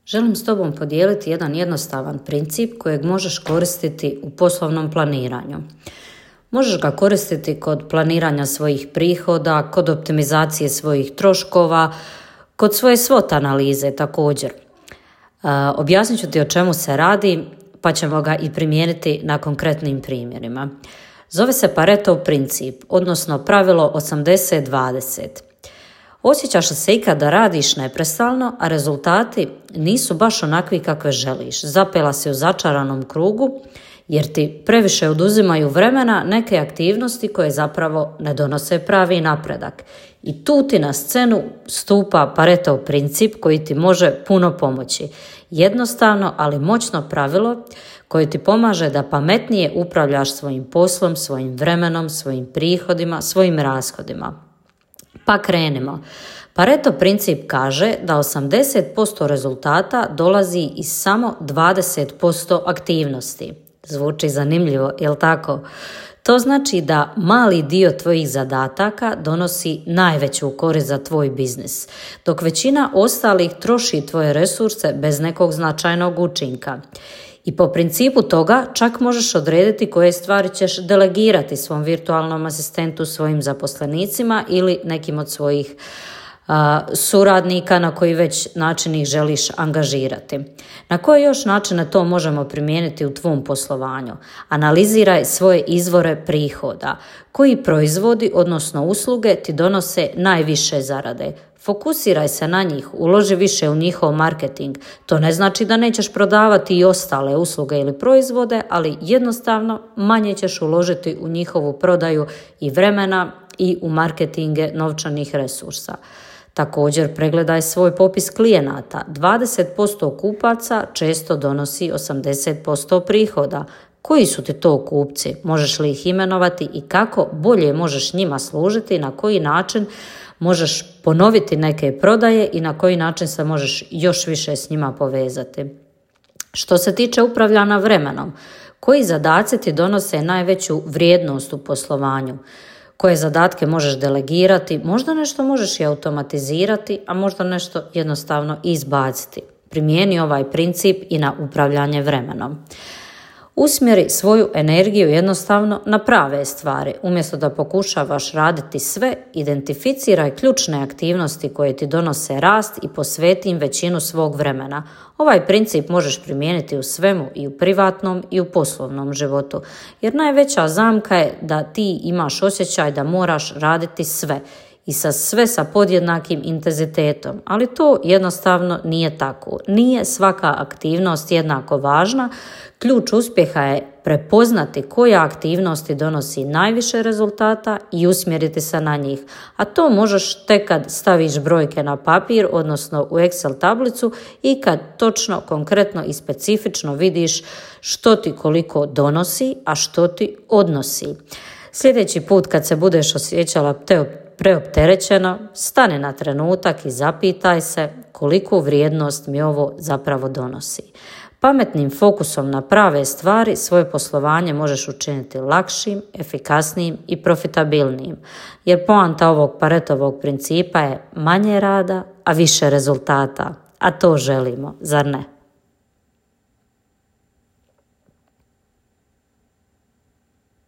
Želim s tobom podijeliti jedan jednostavan princip kojeg možeš koristiti u poslovnom planiranju. Možeš ga koristiti kod planiranja svojih prihoda, kod optimizacije svojih troškova, kod svoje SWOT analize također. Objasnit ću ti o čemu se radi, pa ćemo ga i primijeniti na konkretnim primjerima. Zove se Paretov princip, odnosno pravilo 80-20. Osjećaš li se ikad da radiš neprestano, a rezultati nisu baš onakvi kakve želiš? Zapela si u začaranom krugu jer ti previše oduzimaju vremena neke aktivnosti koje zapravo ne donose pravi napredak. I tu ti na scenu stupa Paretov princip koji ti može puno pomoći. Jednostavno, ali moćno pravilo koje ti pomaže da pametnije upravljaš svojim poslom, svojim vremenom, svojim prihodima, svojim rashodima. Pa krenimo. Paretov princip kaže da 80% rezultata dolazi iz samo 20% aktivnosti. Zvuči zanimljivo, jel tako? To znači da mali dio tvojih zadataka donosi najveću korist za tvoj biznis, dok većina ostalih troši tvoje resurse bez nekog značajnog učinka. I po principu toga čak možeš odrediti koje stvari ćeš delegirati svom virtualnom asistentu, svojim zaposlenicima ili nekim od svojih suradnika na koji već način ih želiš angažirati. Na koje još načine to možemo primijeniti u tvom poslovanju? Analiziraj svoje izvore prihoda. Koji proizvodi, odnosno usluge, ti donose najviše zarade? Fokusiraj se na njih, uloži više u njihov marketing. To ne znači da nećeš prodavati i ostale usluge ili proizvode, ali jednostavno manje ćeš uložiti u njihovu prodaju i vremena i u marketinge novčanih resursa. Također pregledaj svoj popis klijenata. 20% kupaca često donosi 80% prihoda. Koji su ti to kupci? Možeš li ih imenovati i kako bolje možeš njima služiti, na koji način možeš ponoviti neke prodaje i na koji način se možeš još više s njima povezati. Što se tiče upravljanja vremenom, koji zadaci ti donose najveću vrijednost u poslovanju? Koje zadatke možeš delegirati? Možda nešto možeš i automatizirati, a možda nešto jednostavno izbaciti. Primijeni ovaj princip i na upravljanje vremenom. Usmjeri svoju energiju jednostavno na prave stvari. Umjesto da pokušavaš raditi sve, identificiraj ključne aktivnosti koje ti donose rast i posveti im većinu svog vremena. Ovaj princip možeš primijeniti u svemu, i u privatnom i u poslovnom životu. Jer najveća zamka je da ti imaš osjećaj da moraš raditi sve i sve sa podjednakim intenzitetom, ali to jednostavno nije tako. Nije svaka aktivnost jednako važna. Ključ uspjeha je prepoznati koja aktivnosti donosi najviše rezultata i usmjeriti se na njih. A to možeš tek kad staviš brojke na papir, odnosno u Excel tablicu, i kad točno, konkretno i specifično vidiš što ti koliko donosi, a što ti odnosi. Sljedeći put kad se budeš osjećala preopterećeno, stani na trenutak i zapitaj se koliku vrijednost mi ovo zapravo donosi. Pametnim fokusom na prave stvari svoje poslovanje možeš učiniti lakšim, efikasnijim i profitabilnijim. Jer poanta ovog Paretovog principa je manje rada, a više rezultata. A to želimo, zar ne?